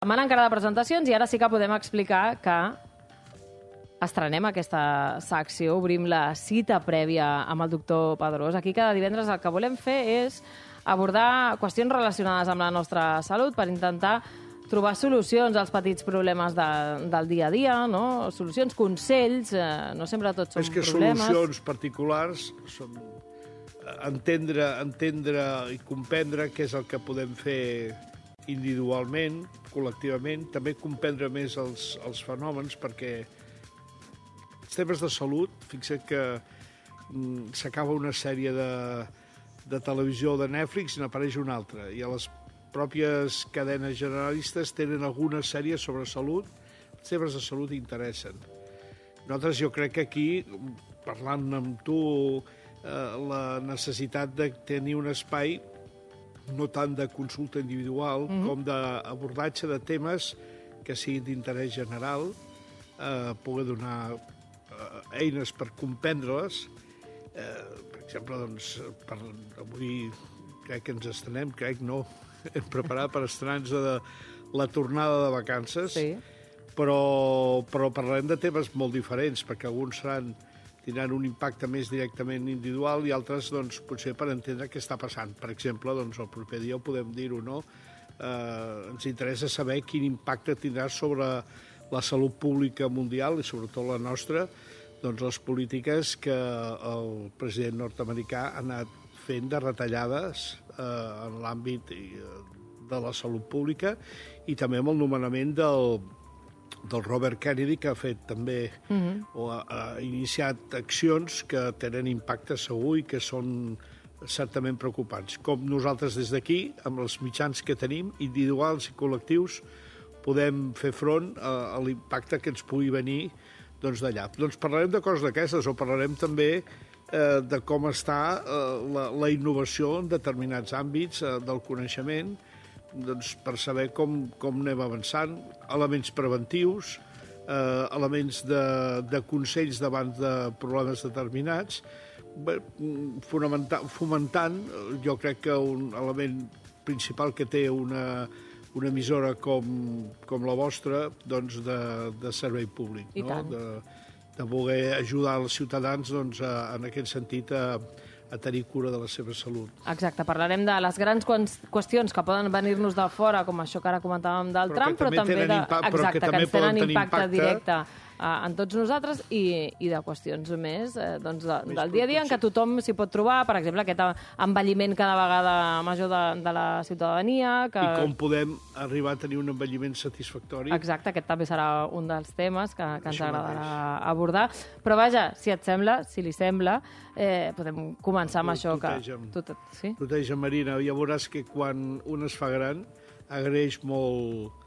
Setmana encara de presentacions i ara sí que podem explicar que estrenem aquesta secció, obrim la cita prèvia amb el doctor Pedrós. Aquí cada divendres el que volem fer és abordar qüestions relacionades amb la nostra salut per intentar trobar solucions als petits problemes del dia a dia, no? Solucions, consells, no sempre tots són problemes. És que solucions particulars són entendre i comprendre què és el que podem fer individualment, col·lectivament, també comprendre més els fenòmens, perquè els temes de salut, fixa't que s'acaba una sèrie de televisió de Netflix i n'apareix una altra, i a les pròpies cadenes generalistes tenen alguna sèrie sobre salut, els temes de salut interessen. Nosaltres, jo crec que aquí, parlant amb tu, la necessitat de tenir un espai no tant de consulta individual com d'abordatge de temes que siguin d'interès general, poder donar eines per comprendre-les. Per exemple, doncs, avui crec que ens estrenem, hem preparat per estrenar-nos de la tornada de vacances, sí. però parlarem de temes molt diferents, perquè alguns tindran un impacte més directament individual i altres, doncs, potser per entendre què està passant. Per exemple, doncs, el proper dia ho podem dir-ho, no? Ens interessa saber quin impacte tindrà sobre la salut pública mundial i sobretot la nostra, doncs, les polítiques que el president nord-americà ha anat fent de retallades en l'àmbit de la salut pública i també amb el nomenament del Robert Kennedy, que ha fet també o ha iniciat accions que tenen impacte segur i que són certament preocupants. Com nosaltres des d'aquí, amb els mitjans que tenim, individuals i col·lectius, podem fer front a l'impacte que ens pugui venir d'allà. Doncs parlarem de coses d'aquestes, o parlarem també de com està la innovació en determinats àmbits del coneixement, doncs, per saber com anem avançant, elements preventius, elements de consells davant de problemes determinats, fomentant, jo crec que un element principal que té una emissora com la vostra, doncs, de servei públic, no? De voler ajudar els ciutadans, doncs, en aquest sentit, a tenir cura de la seva salut. Exacte, parlarem de les grans qüestions que poden venir-nos de fora, com això que ara comentàvem del Trump, però també que ens tenen impacte directe en tots nosaltres i de qüestions més del dia a dia en què tothom s'hi pot trobar, per exemple, aquest envelliment cada vegada major de la ciutadania. I com podem arribar a tenir un envelliment satisfactori. Exacte, aquest també serà un dels temes que ens agradarà abordar. Però vaja, si et sembla, si li sembla, podem començar amb això. Tuteja, Marina, ja veuràs que quan un es fa gran agraeix molt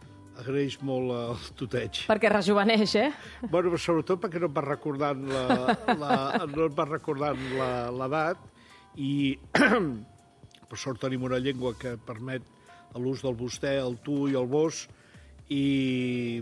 el tuteig. Perquè rejuveneix, Bueno, sobretot perquè no et va recordant l'edat i per sort tenim una llengua que permet l'ús del vostè, el tu i el vos i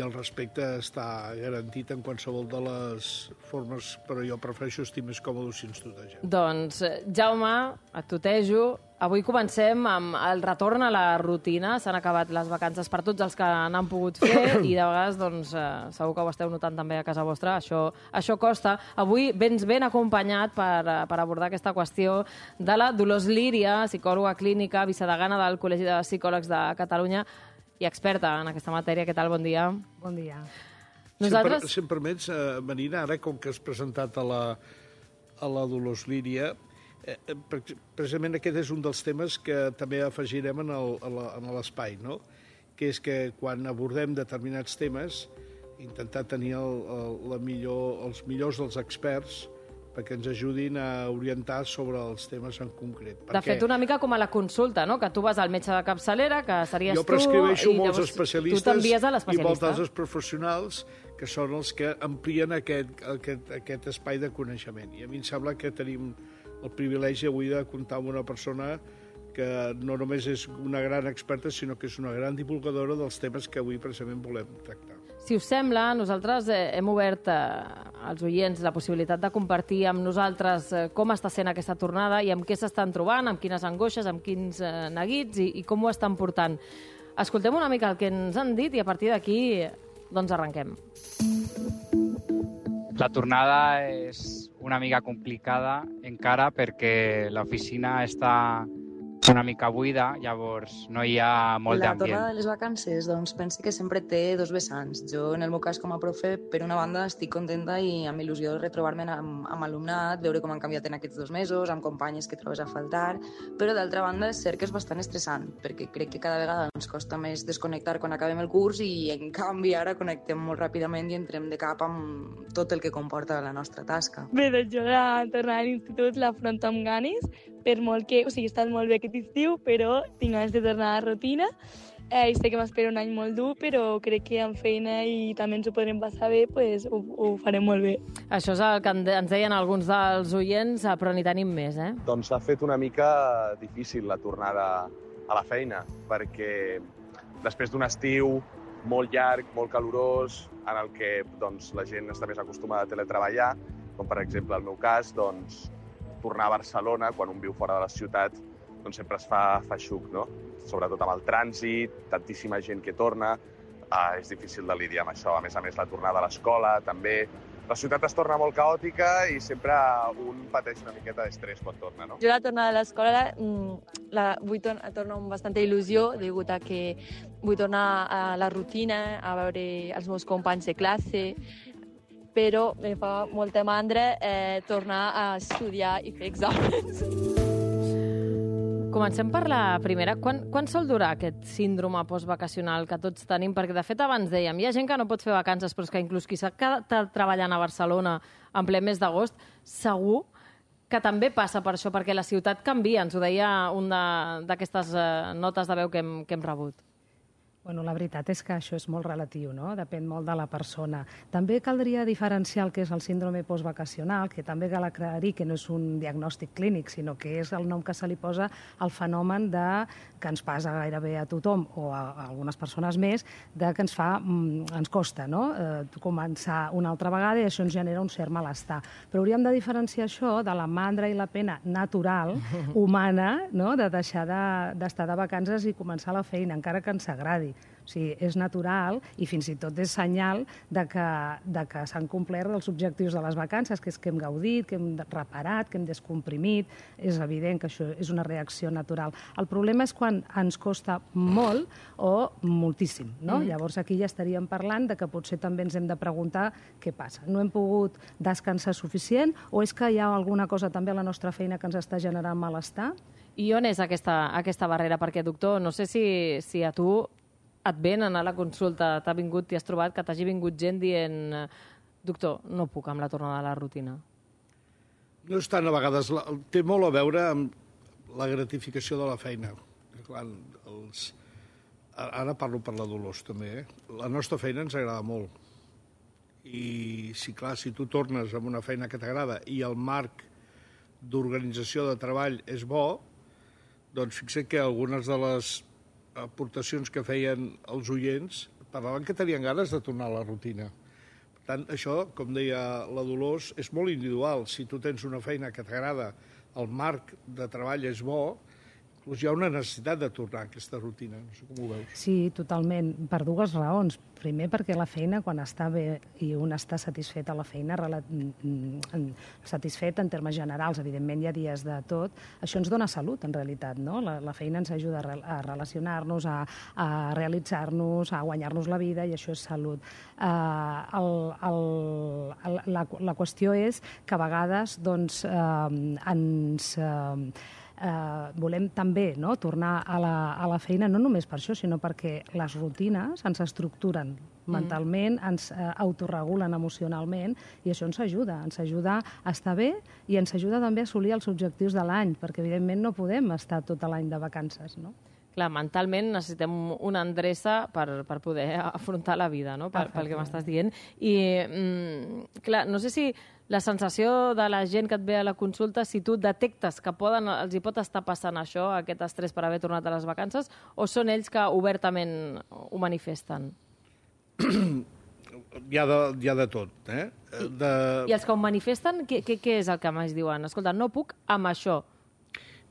el respecte està garantit en qualsevol de les formes, però jo prefereixo estar més còmode si ens tuteja. Doncs, Jaume, et tutejo. Avui comencem amb el retorn a la rutina. S'han acabat les vacances per tots els que n'han pogut fer i de vegades, doncs, segur que ho esteu notant també a casa vostra. Això costa. Avui vens ben acompanyat per abordar aquesta qüestió de la Dolors Líria, psicòloga clínica, vicedegana del Col·legi de Psicòlegs de Catalunya i experta en aquesta matèria. Què tal? Bon dia. Bon dia. Nosaltres... Si em permets, Marina, ara com que has presentat a la Dolors Líria, precisament aquest és un dels temes que també afegirem en l'espai, no? Que és que quan abordem determinats temes, intentar tenir els millors dels experts perquè ens ajudin a orientar sobre els temes en concret. De fet, una mica com a la consulta, no? Que tu vas al metge de capçalera, que series tu... Jo prescriveixo molts especialistes tu t'envies a l'especialista. I molts altres professionals que són els que amplien aquest espai de coneixement. I a mi em sembla que tenim el privilegi avui de comptar amb una persona que no només és una gran experta, sinó que és una gran divulgadora dels temes que avui precisament volem tractar. Si us sembla, nosaltres hem obert als oients la possibilitat de compartir amb nosaltres com està sent aquesta tornada i amb què s'estan trobant, amb quines angoixes, amb quins neguits i com ho estan portant. Escoltem una mica el que ens han dit i a partir d'aquí doncs arrenquem. La tornada és una mica complicada encara perquè l'oficina està una mica buida, llavors no hi ha molt La d'ambient. tornada de les vacances, doncs, penso que sempre té dos vessants. Jo, en el meu cas, com a profe, per una banda estic contenta i amb il·lusió de retrobar-me amb alumnat, veure com han canviat en aquests 2 mesos, amb companyes que trobes a faltar, però d'altra banda és cert que és bastant estressant, perquè crec que cada vegada ens costa més desconnectar quan acabem el curs i, en canvi, ara connectem molt ràpidament i entrem de cap amb tot el que comporta la nostra tasca. Bé, doncs jo la tornada a l'institut l'afronto amb ganes, per molt que, he estat molt bé aquest estiu, però tinc ganes de tornar a la rutina. I sé que m'espera un any molt dur, però crec que amb feina i també ens ho podrem passar bé, pues, ho farem molt bé. Això és el que ens deien alguns dels oients, però n'hi tenim més, eh? Doncs s'ha fet una mica difícil la tornada a la feina, perquè després d'un estiu molt llarg, molt calorós, en el que doncs, la gent està més acostumada a teletreballar, com per exemple el meu cas, doncs, tornar a Barcelona, quan un viu fora de la ciutat, doncs sempre es fa feixuc, no? Sobretot amb el trànsit, tantíssima gent que torna, és difícil de lidiar amb això. A més, la tornada a l'escola, també. La ciutat es torna molt caòtica i sempre un pateix una miqueta d'estrès quan torna, no? Jo la tornada a l'escola vull tornar amb bastanta il·lusió, degut a que vull tornar a la rutina, a veure els meus companys de classe, però em fa molta mandra tornar a estudiar i fer exàmens. Comencem per la primera. Quan sol durar aquest síndrome postvacacional que tots tenim? Perquè, de fet, abans dèiem, hi ha gent que no pot fer vacances, però és que inclús qui s'ha quedat treballant a Barcelona en ple mes d'agost, segur que també passa per això, perquè la ciutat canvia. Ens ho deia una d'aquestes notes de veu que hem rebut. Bueno, la veritat és que això és molt relatiu, no? Depèn molt de la persona. També caldria diferenciar el que és el síndrome postvacacional, que també cal aclarir que no és un diagnòstic clínic, sinó que és el nom que se li posa al fenomen que ens passa gairebé a tothom, o a algunes persones més, que ens costa, no? Començar una altra vegada i això ens genera un cert malestar. Però hauríem de diferenciar això de la mandra i la pena natural, humana, no? De deixar d'estar de vacances i començar la feina, encara que ens agradi. O sigui, és natural i fins i tot és senyal de que s'han complert els objectius de les vacances, que és que hem gaudit, que hem reparat, que hem descomprimit. És evident que això és una reacció natural. El problema és quan ens costa molt o moltíssim, no? Llavors aquí ja estaríem parlant de que potser també ens hem de preguntar què passa. No hem pogut descansar suficient o és que hi ha alguna cosa també a la nostra feina que ens està generant malestar? I on és aquesta barrera? Perquè, doctor, no sé si a tu et ven anar a la consulta, t'ha vingut i has trobat que t'hagi vingut gent dient doctor, no puc amb la tornada a la rutina. No és tant, a vegades, té molt a veure amb la gratificació de la feina. Clar, ara parlo per la Dolors, també. La nostra feina ens agrada molt. I, si tu tornes amb una feina que t'agrada i el marc d'organització de treball és bo, doncs fixa't que algunes de les aportacions que feien els oients parlaven que tenien ganes de tornar a la rutina. Per tant, això, com deia la Dolors, és molt individual. Si tu tens una feina que t'agrada, el marc de treball és bo, doncs hi ha una necessitat de tornar a aquesta rutina. No sé com ho veus. Sí, totalment, per dues raons. Primer, perquè la feina, quan està bé i un està satisfet a la feina, satisfet en termes generals, evidentment hi ha dies de tot, això ens dona salut, en realitat, no? La feina ens ajuda a relacionar-nos, a realitzar-nos, a guanyar-nos la vida, i això és salut. La qüestió és que a vegades volem també tornar a la feina, no només per això, sinó perquè les rutines ens estructuren mentalment, ens autorregulen emocionalment, i això ens ajuda a estar bé i ens ajuda també a assolir els objectius de l'any, perquè evidentment no podem estar tot l'any de vacances, no? Clar, mentalment necessitem una endreça per poder afrontar la vida, no? Pel que m'estàs dient. I, clar, no sé si la sensació de la gent que et ve a la consulta, si tu detectes que els hi pot estar passant això, aquest estrès per haver tornat a les vacances, o són ells que obertament ho manifesten? Hi ha de tot, eh? I els que ho manifesten, què és el que més diuen? Escolta, no puc amb això.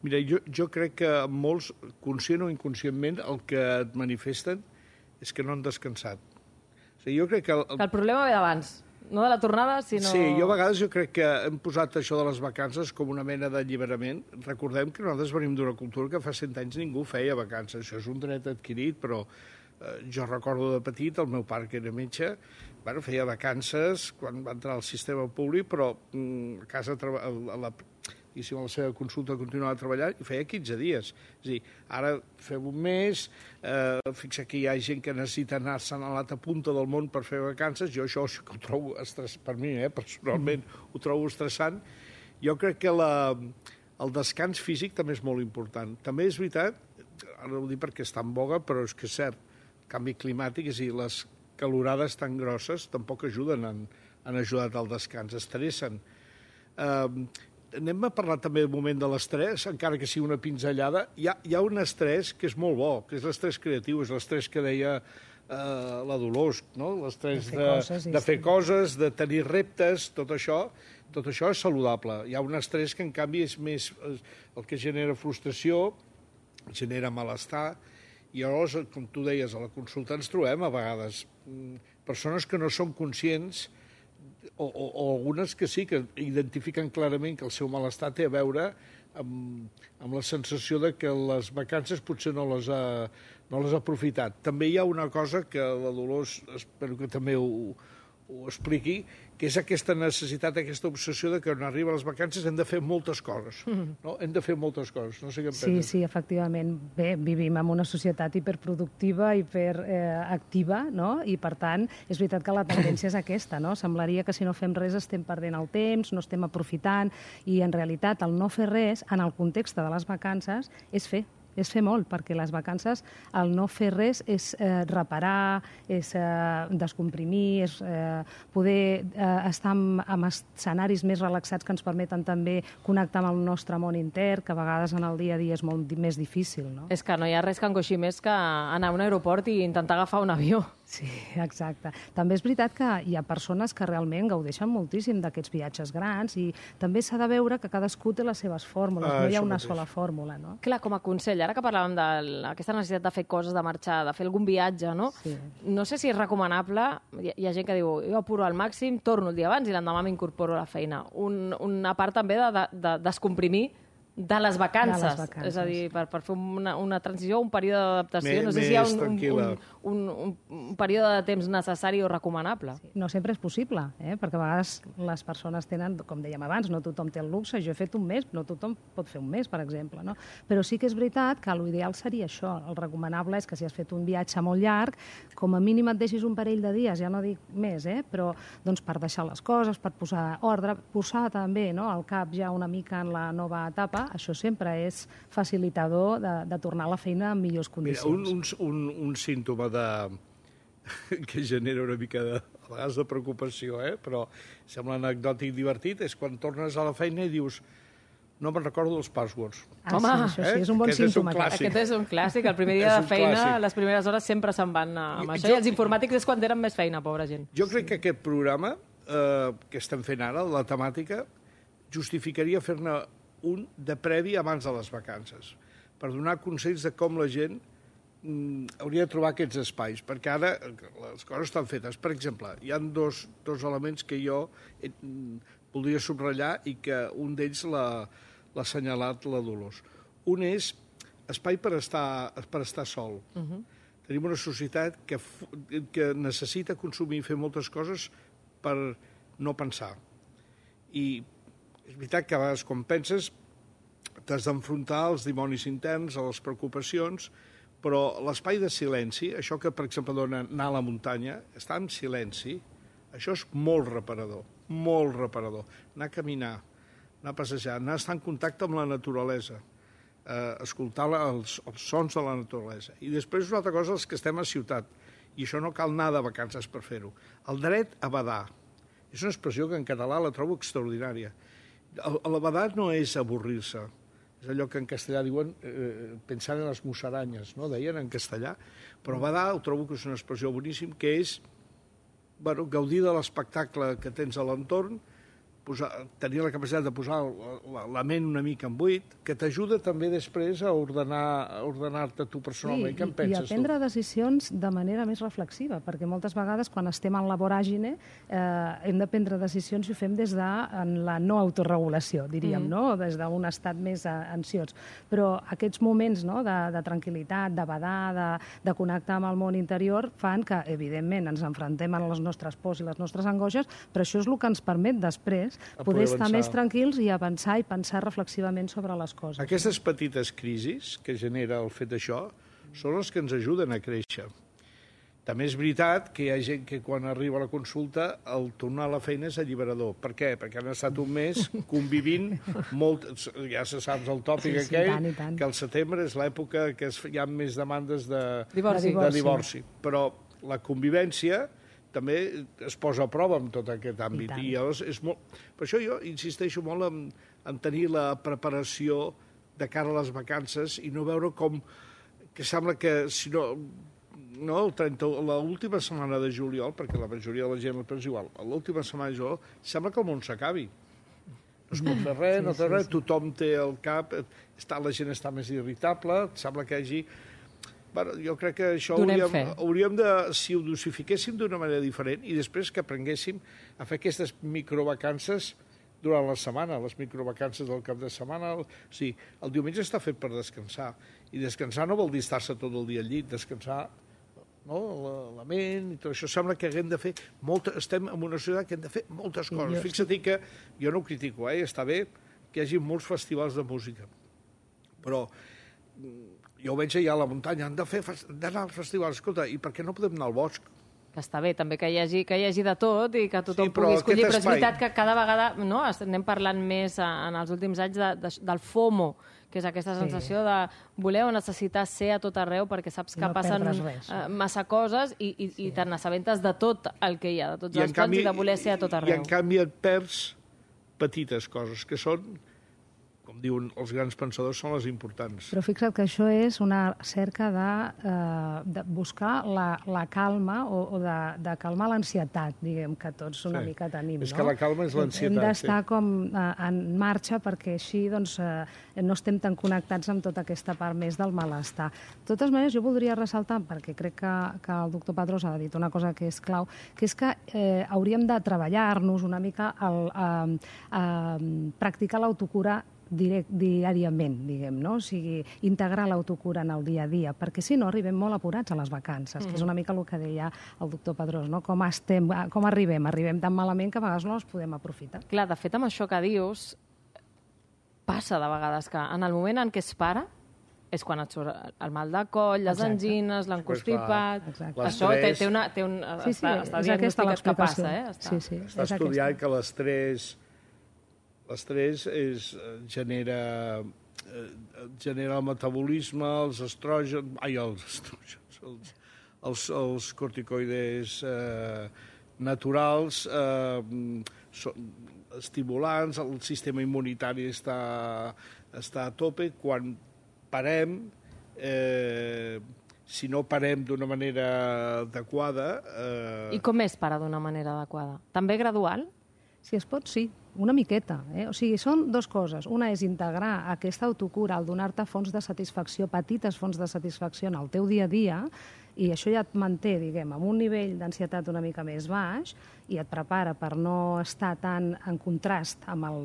Mira, jo crec que molts, conscient o inconscientment, el que et manifesten és que no han descansat. O sigui, jo crec que... Que el problema ve d'abans, no de la tornada, sinó... Sí, a vegades crec que hem posat això de les vacances com una mena d'alliberament. Recordem que nosaltres venim d'una cultura que fa 100 anys ningú feia vacances. Això és un dret adquirit, però jo recordo de petit, el meu pare, que era metge, feia vacances quan va entrar al sistema públic, però a casa, a la seva consulta continuava treballant i feia 15 dies. És a dir, ara fem un mes, fixa que hi ha gent que necessita anar-se'n a l'altra punta del món per fer vacances, jo això sí que ho trobo estressant, per mi, personalment, ho trobo estressant. Jo crec que el descans físic també és molt important. També és veritat, ara ho dic perquè està en boga, però és que és cert, canvi climàtic, és a dir, les calorades tan grosses tampoc ajuden, han ajudat al descans, estressen. Anem a parlar també un moment de l'estrès, encara que sigui una pinzellada. Hi ha un estrès que és molt bo, que és l'estrès creatiu, és l'estrès que deia la Dolors, no? L'estrès de fer coses, de tenir reptes, tot això és saludable. Hi ha un estrès que, en canvi, és més el que genera frustració, genera malestar, i llavors, com tu deies, a la consulta ens trobem a vegades persones que no són conscients o algunes que sí, que identifiquen clarament que el seu malestar té a veure amb la sensació de que les vacances potser no les ha aprofitat. També hi ha una cosa que la Dolors, espero que també ho expliqui, que és aquesta necessitat, aquesta obsessió de que quan arriben les vacances hem de fer moltes coses. No? Hem de fer moltes coses. No sé què en penses. Sí, efectivament. Bé, vivim en una societat hiperproductiva, hiperactiva, no? I, per tant, és veritat que la tendència és aquesta, no? Semblaria que si no fem res estem perdent el temps, no estem aprofitant, i, en realitat, el no fer res, en el context de les vacances, és fer molt, perquè les vacances, el no fer res és reparar, és descomprimir, és poder estar en escenaris més relaxats que ens permeten també connectar amb el nostre món intern, que a vegades en el dia a dia és molt més difícil, no? És que no hi ha res que angoixi més que anar a un aeroport i intentar agafar un avió. Sí, exacte. També és veritat que hi ha persones que realment gaudeixen moltíssim d'aquests viatges grans i també s'ha de veure que cadascú té les seves fórmules, no hi ha una sola fórmula, no? Clar, com a consell, ara que parlàvem d'aquesta necessitat de fer coses, de marxar, de fer algun viatge, no? Sí. No sé si és recomanable, hi ha gent que diu, jo apuro al màxim, torno el dia abans i l'endemà m'incorporo a la feina. Una part també de descomprimir de les vacances. És a dir, per fer una transició, un període d'adaptació. No sé si hi ha un període de temps necessari o recomanable. Sí, no sempre és possible, perquè a vegades les persones tenen, com dèiem abans, no tothom té el luxe, jo he fet un mes, no tothom pot fer un mes, per exemple, no? Però sí que és veritat que l'ideal seria això. El recomanable és que si has fet un viatge molt llarg, com a mínim et deixis un parell de dies, ja no dic més, però doncs per deixar les coses, per posar ordre, posar també el cap ja una mica en la nova etapa. Això sempre és facilitador de tornar a la feina en millors condicions. Mira, un símptoma que genera una mica a vegades de preocupació, però sembla anecdòtic i divertit, és quan tornes a la feina i dius no me'n recordo dels passwords. Home, això sí, és un bon símptoma. Aquest és un clàssic. El primer dia de feina, les primeres hores sempre se'n van amb això. I els informàtics és quan tenen més feina, pobra gent. Jo crec que aquest programa que estem fent ara, la temàtica, justificaria fer-ne un de previ abans de les vacances, per donar consells de com la gent hauria de trobar aquests espais, perquè ara les coses estan fetes. Per exemple, hi ha dos elements que jo voldria subratllar i que un d'ells l'ha assenyalat la Dolors. Un és espai per estar sol. Tenim una societat que necessita consumir i fer moltes coses per no pensar. I és veritat que a vegades quan penses t'has d'enfrontar als dimonis interns, a les preocupacions, però l'espai de silenci, això que per exemple dona anar a la muntanya, estar en silenci, això és molt reparador, molt reparador. Anar a caminar, anar a passejar, anar a estar en contacte amb la naturalesa, escoltar els sons de la naturalesa. I després una altra cosa, els que estem a ciutat, i això no cal anar de vacances per fer-ho. El dret a badar. És una expressió que en català la trobo extraordinària. El badar no és avorrir-se, és allò que en castellà diuen pensar en les musaranyes, no? Deien en castellà, però badar ho trobo que és una expressió boníssima, que és gaudir de l'espectacle que tens a l'entorn, tenir la capacitat de posar la ment una mica en buit, que t'ajuda també després a ordenar-te tu personalment. Què en penses tu? I a prendre decisions de manera més reflexiva, perquè moltes vegades quan estem en la voràgine hem de prendre decisions i ho fem des de la no autorregulació, diríem, no? Des d'un estat més ansiós. Però aquests moments de tranquil·litat, de badar, de connectar amb el món interior, fan que, evidentment, ens enfrontem a les nostres pors i les nostres angoixes, però això és el que ens permet després poder estar més tranquils i avançar i pensar reflexivament sobre les coses. Aquestes petites crisis que genera el fet d'això són les que ens ajuden a créixer. També és veritat que hi ha gent que quan arriba a la consulta el tornar a la feina és alliberador. Per què? Perquè han estat un mes convivint molt... Ja se saps el tòpic aquell, que al setembre és l'època que hi ha més demandes de divorci. Però la convivència també es posa a prova en tot aquest àmbit. I llavors és molt... Per això jo insisteixo molt en tenir la preparació de cara a les vacances i no veure com... que sembla que si no... l'última setmana de juliol, perquè la majoria de la gent és igual, l'última setmana de juliol sembla que el món s'acabi. No es pot fer res, no té res, tothom té el cap, la gent està més irritable, sembla que hi hagi... Jo crec que això hauríem de, si ho dosifiquéssim d'una manera diferent i després que aprenguéssim a fer aquestes microvacances durant la setmana, les microvacances del cap de setmana. O sigui, el diumenge està fet per descansar, i descansar no vol dir estar-se tot el dia al llit, descansar la ment i tot això. Sembla que haguem de fer estem en una societat que hem de fer moltes coses. Fixa't que jo no ho critico, està bé que hi hagi molts festivals de música, però jo ho veig allà a la muntanya, han d'anar als festivals. Escolta, i per què no podem anar al bosc? Que està bé, també que hi hagi de tot i que tothom pugui escollir, però és veritat que cada vegada anem parlant més en els últims anys del FOMO, que és aquesta sensació de voler o necessitar ser a tot arreu perquè saps que passen massa coses i te n'assabentes de tot el que hi ha, de tots els plans i de voler ser a tot arreu. I en canvi et perds petites coses, que són, com diuen els grans pensadors, són les importants. Però fixa't que això és una cerca de buscar la calma o de calmar l'ansietat, diguem, que tots una mica tenim. És que la calma és l'ansietat. Hem d'estar com en marxa perquè així no estem tan connectats amb tota aquesta part més del malestar. De totes maneres, jo voldria ressaltar, perquè crec que el doctor Padrós ha dit una cosa que és clau, que és que hauríem de treballar-nos una mica a practicar l'autocura diàriament, diguem, no? O sigui, integrar l'autocura en el dia a dia, perquè si no arribem molt apurats a les vacances, que és una mica el que deia el doctor Padrós, no? Com arribem? Arribem tan malament que a vegades no els podem aprofitar. Clar, de fet, amb això que dius, passa de vegades que en el moment en què es para és quan et surt el mal de coll, les angines, l'encostipat... Això té un... Està diagnosticat que passa, Està estudiat que l'estrès genera el metabolisme, els estrògens, els corticoides naturals, estimulants, el sistema immunitari està a tope. Quan parem, si no parem d'una manera adequada... I com és parar d'una manera adequada? També gradual? Si es pot, sí. Una miqueta. O sigui, són dues coses. Una és integrar aquesta autocura, el donar-te fonts de satisfacció, petites fonts de satisfacció en el teu dia a dia, i això ja et manté, diguem, amb un nivell d'ansietat una mica més baix i et prepara per no estar tan en contrast amb el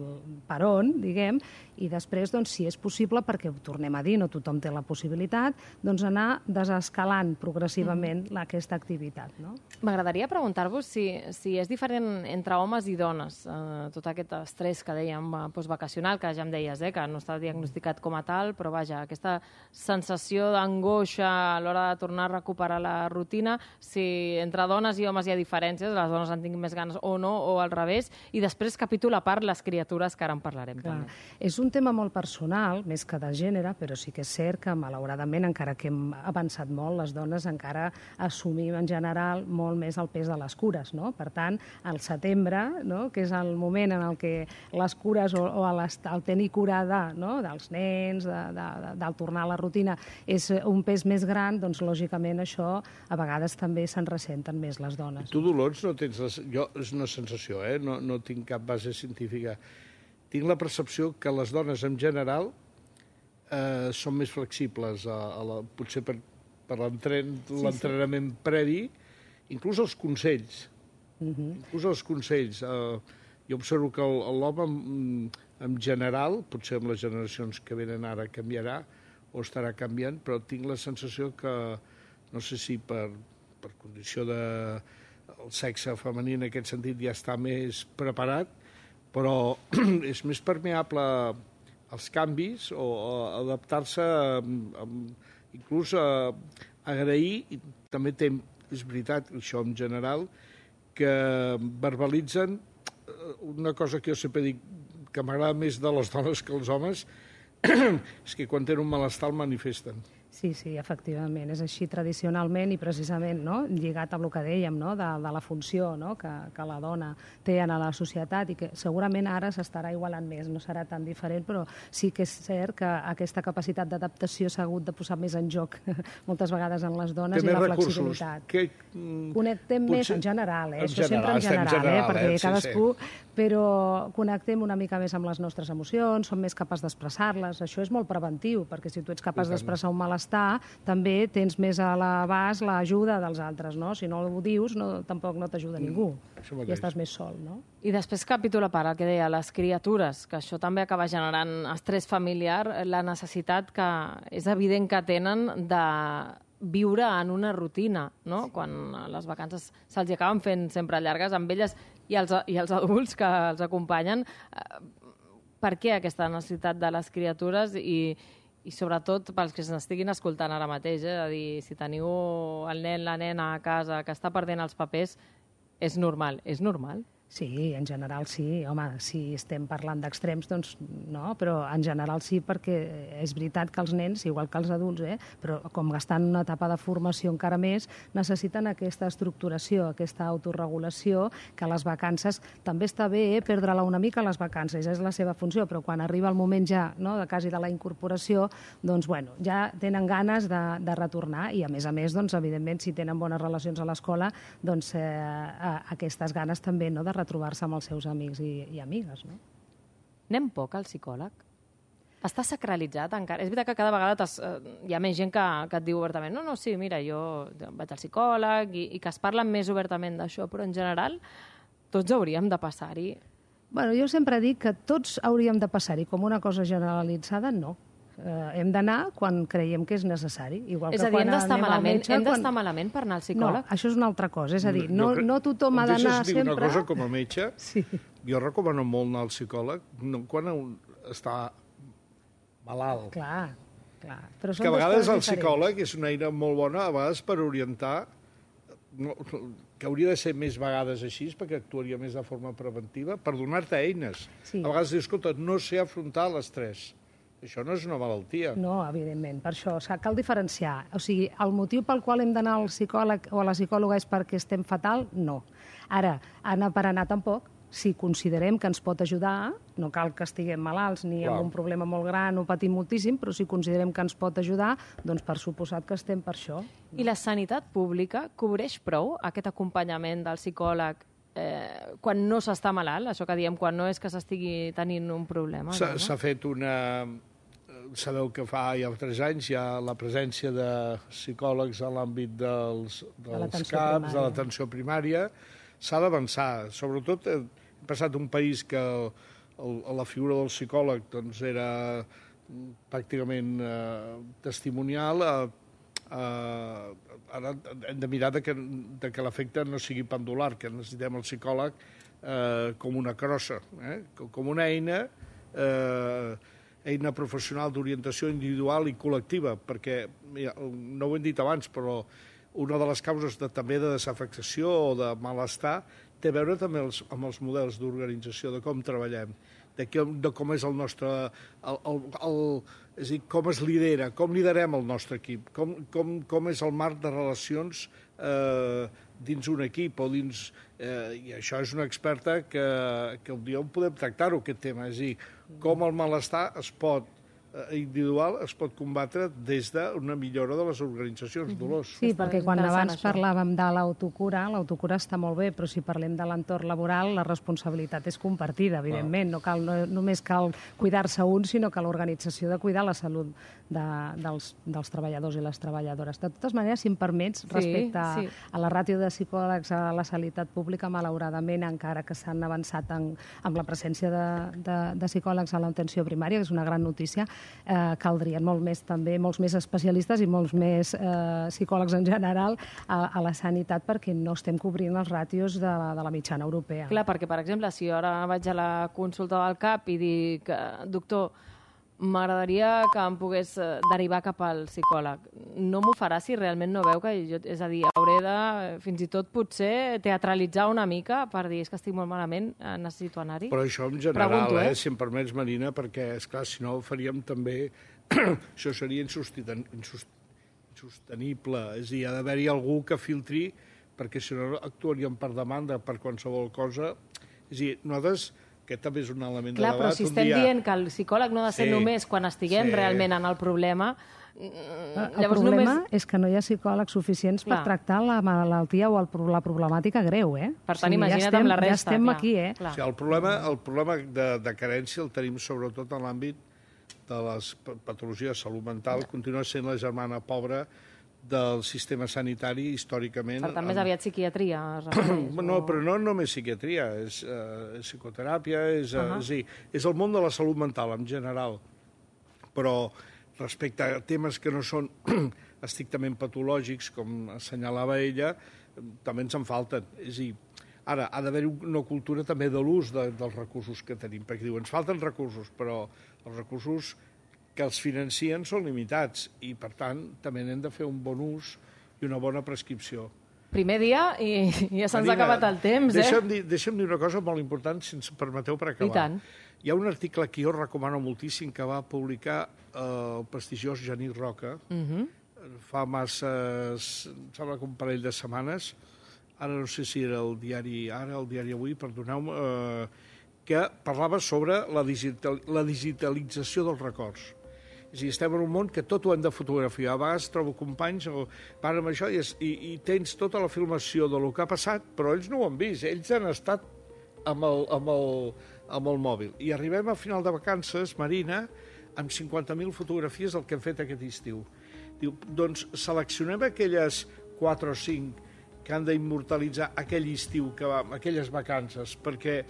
per on, diguem, i després, doncs, si és possible, perquè ho tornem a dir, no tothom té la possibilitat, doncs anar desescalant progressivament aquesta activitat, no? M'agradaria preguntar-vos si és diferent entre homes i dones, tot aquest estrès que dèiem postvacacional, que ja em deies, que no està diagnosticat com a tal, però vaja, aquesta sensació d'angoixa a l'hora de tornar a recuperar la rutina, si entre dones i homes hi ha diferències, les dones en tinguin més ganes o no, o al revés, i després capítol a part les criatures, que ara en parlarem també. És un tema molt personal, més que de gènere, però sí que és cert que, malauradament, encara que hem avançat molt, les dones encara assumim en general molt més el pes de les cures, no? Per tant, al setembre, no?, que és el moment en el que les cures o el tenir cura dels nens, del tornar a la rutina, és un pes més gran, doncs, lògicament, això a vegades també se'n ressenten més les dones. Tu, Dolors, no tens... Jo, és una sensació, no tinc cap base científica. Tinc la percepció que les dones, en general, són més flexibles, potser per l'entrenament previ, inclús els consells. Inclús els consells. Jo observo que l'home, en general, potser amb les generacions que venen ara canviarà o estarà canviant, però tinc la sensació que, no sé si per condició del sexe femení en aquest sentit ja està més preparat, però és més permeable als canvis o a adaptar-se, inclús a agrair, i també és veritat, això en general, que verbalitzen una cosa que jo sempre dic que m'agrada més de les dones que els homes, és que quan tenen un malestar el manifesten. Sí, efectivament, és així tradicionalment i precisament lligat amb el que dèiem, de la funció que la dona té en la societat i que segurament ara s'estarà igualant més, no serà tan diferent, però sí que és cert que aquesta capacitat d'adaptació s'ha hagut de posar més en joc moltes vegades en les dones i la flexibilitat. Connectem més en general, això sempre en general, perquè cadascú, però connectem una mica més amb les nostres emocions, som més capaços d'expressar-les, això és molt preventiu, perquè si tu ets capaç d'expressar un malestar, també tens més a l'abast l'ajuda dels altres, no? Si no ho dius, tampoc no t'ajuda ningú. I estàs més sol, no? I després capítol a part, el que deia, les criatures, que això també acaba generant estrès familiar, la necessitat que és evident que tenen de viure en una rutina, no? Quan les vacances se'ls acaben fent sempre llargues amb elles i els adults que els acompanyen. Per què aquesta necessitat de les criatures i sobretot pels que s'estiguin escoltant ara mateix, és a dir, si teniu el nen, la nena a casa que està perdent els papers, és normal. És normal? Sí, en general sí. Home, si estem parlant d'extrems, doncs no, però en general sí, perquè és veritat que els nens, igual que els adults, però com estan en una etapa de formació encara més, necessiten aquesta estructuració, aquesta autorregulació, que a les vacances també està bé perdre-la una mica a les vacances, és la seva funció, però quan arriba el moment ja de quasi de la incorporació, doncs bueno, ja tenen ganes de retornar i a més, doncs evidentment, si tenen bones relacions a l'escola, doncs aquestes ganes també de retrobar-se amb els seus amics i amigues, no? Anem poc al psicòleg? Està sacralitzat encara? És veritat que cada vegada hi ha més gent que et diu obertament sí, mira, jo vaig al psicòleg i que es parlen més obertament d'això, però en general tots hauríem de passar-hi. Bueno, jo sempre dic que tots hauríem de passar-hi com una cosa generalitzada, no. Hem d'anar quan creiem que és necessari. Igual és a dir, hem d'estar malament per anar al psicòleg? No, això és una altra cosa. És a dir, no tothom ha d'anar sempre... Deixes dir una cosa com a metge? Sí. Jo recomano molt anar al psicòleg quan està malalt. Clar. Però que a vegades el psicòleg és una eina molt bona, a vegades per orientar, que hauria de ser més vegades així, perquè actuaria més de forma preventiva, per donar-te eines. A vegades dius, escolta, no sé afrontar l'estrès. Això no és una malaltia. No, evidentment. Per això cal diferenciar. O sigui, el motiu pel qual hem d'anar al psicòleg o a la psicòloga és perquè estem fatal? No. Ara, anar per anar tampoc. Si considerem que ens pot ajudar, no cal que estiguem malalts ni amb un problema molt gran o patim moltíssim, però si considerem que ens pot ajudar, doncs per suposat que estem per això. I la sanitat pública cobreix prou aquest acompanyament del psicòleg quan no s'està malalt, això que diem, quan no és que s'estigui tenint un problema? S'ha fet una... Sabeu que fa ja 3 anys hi ha la presència de psicòlegs a l'àmbit dels CAPs, de l'atenció primària. S'ha d'avançar. Sobretot hem passat un país que la figura del psicòleg doncs, era pràcticament testimonial. Ara hem de mirar que l'efecte no sigui pendular, que necessitem el psicòleg com una crossa, com una eina professional d'orientació individual i col·lectiva, perquè, no ho hem dit abans, però una de les causes també de desafectació o de malestar té a veure també amb els models d'organització, de com treballem, de com és el nostre... és a dir, com es lidera, com liderem el nostre equip, com és el marc de relacions dins un equip o dins... I això és una experta que un dia podem tractar-ho, aquest tema. És a dir, com el malestar es pot individual es pot combatre des d'una millora de les organitzacions, Dolors. Sí, perquè quan abans això. parlàvem de l'autocura està molt bé, però si parlem de l'entorn laboral, la responsabilitat és compartida, evidentment. No només cal cuidar-se un, sinó que l'organització de cuidar la salut dels treballadors i les treballadores. De totes maneres, si em permets, respecte a la ràtio de psicòlegs a la sanitat pública, malauradament, encara que s'han avançat amb la presència de psicòlegs a l'atenció primària, que és una gran notícia, caldrien molts més especialistes i molts més psicòlegs en general a la sanitat, perquè no estem cobrint els ràtios de la mitjana europea. Clar, perquè, per exemple, si ara vaig a la consulta del CAP i dic, doctor, m'agradaria que em pogués derivar cap al psicòleg. No m'ho farà si realment no veu que jo... És a dir, hauré de, fins i tot, potser teatralitzar una mica per dir, és que estic molt malament, necessito anar-hi. Però això en general, si em permets, Marina, perquè, esclar, si no ho faríem també... això seria insostenible. És a dir, ha d'haver-hi algú que filtri, perquè si no actuaríem per demanda, per qualsevol cosa. És a dir, nosaltres... Aquest també és un element de debat. Clar, però si estem dient que el psicòleg no ha de ser només quan estiguem realment en el problema... El problema és que no hi ha psicòlegs suficients per tractar la malaltia o la problemàtica greu, eh? Per tant, imagina't amb la resta. Ja estem aquí, eh? El problema de carència el tenim sobretot en l'àmbit de les patologies de salut mental. Continua sent la germana pobra del sistema sanitari històricament. Per tant, més aviat psiquiatria. No, però no només psiquiatria, és psicoteràpia, és el món de la salut mental en general. Però respecte a temes que no són estrictament patològics, com assenyalava ella, també ens en falten. És a dir, ara, ha d'haver-hi una cultura també de l'ús dels recursos que tenim, perquè diu, ens falten recursos, però els recursos que els financien són limitats i, per tant, també n'hem de fer un bon ús i una bona prescripció. Primer dia i ja se'ns ha acabat el temps, Deixa'm dir una cosa molt important, si ens permeteu, per acabar. I tant. Hi ha un article que jo recomano moltíssim que va publicar el prestigiós Genís Roca fa masses, em sembla que un parell de setmanes, ara no sé si era el diari Ara, el diari Avui, perdoneu-me, que parlava sobre la digitalització dels records. És a dir, estem en un món que tot ho hem de fotografiar. A vegades trobo companys que van amb això i tens tota la filmació del que ha passat, però ells no ho han vist. Ells han estat amb el mòbil. I arribem a final de vacances, Marina, amb 50.000 fotografies del que hem fet aquest estiu. Diu, doncs seleccionem aquelles 4 o 5 que han d'immortalitzar aquell estiu, aquelles vacances, perquè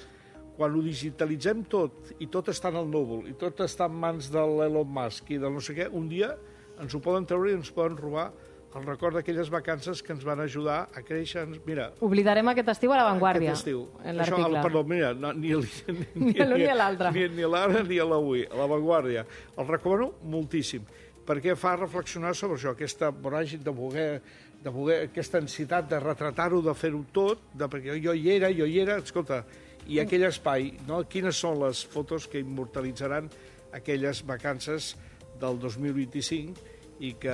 quan ho digitalitzem tot, i tot està en el núvol, i tot està en mans de l'Elon Musk i de no sé què, un dia ens ho poden treure i ens poden robar el record d'aquelles vacances que ens van ajudar a créixer. Mira, oblidarem aquest estiu a La Vanguardia, aquest estiu. en l'article. Perdó, mira, ni l'un ni l'altre. Ni l'ara ni a l'avui, a La Vanguardia. El recomano moltíssim, perquè fa reflexionar sobre això, aquesta voràgine de voler aquesta ansietat de retratar-ho, de fer-ho tot, perquè jo hi era, escolta, i aquell espai, no? Quines són les fotos que immortalitzaran aquelles vacances del 2025 i que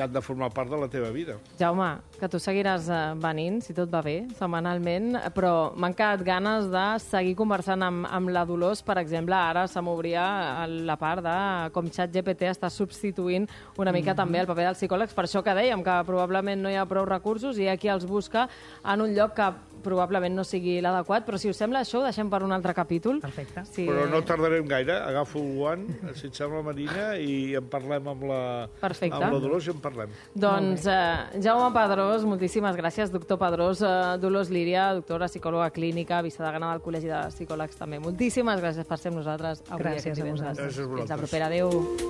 han de formar part de la teva vida. Jaume, que tu seguiràs venint, si tot va bé, setmanalment, però m'han quedat ganes de seguir conversant amb la Dolors. Per exemple, ara se m'obria la part de com ChatGPT està substituint una mica també el paper dels psicòlegs. Per això que dèiem, que probablement no hi ha prou recursos i hi ha qui els busca en un lloc que probablement no sigui l'adequat, però si us sembla això ho deixem per un altre capítol. Perfecte. Sí. Però no tardarem gaire, agafo el guant, si et sembla, Marina, i en parlem amb la Dolors i en parlem. Doncs Jaume Pedrós, moltíssimes gràcies, doctor Pedrós, Dolors Líria, doctora psicòloga clínica, vicedegana del Col·legi de Psicòlegs també. Moltíssimes gràcies per ser amb nosaltres avui. Gràcies a vosaltres. Gràcies a vosaltres. Fins la propera. Adéu.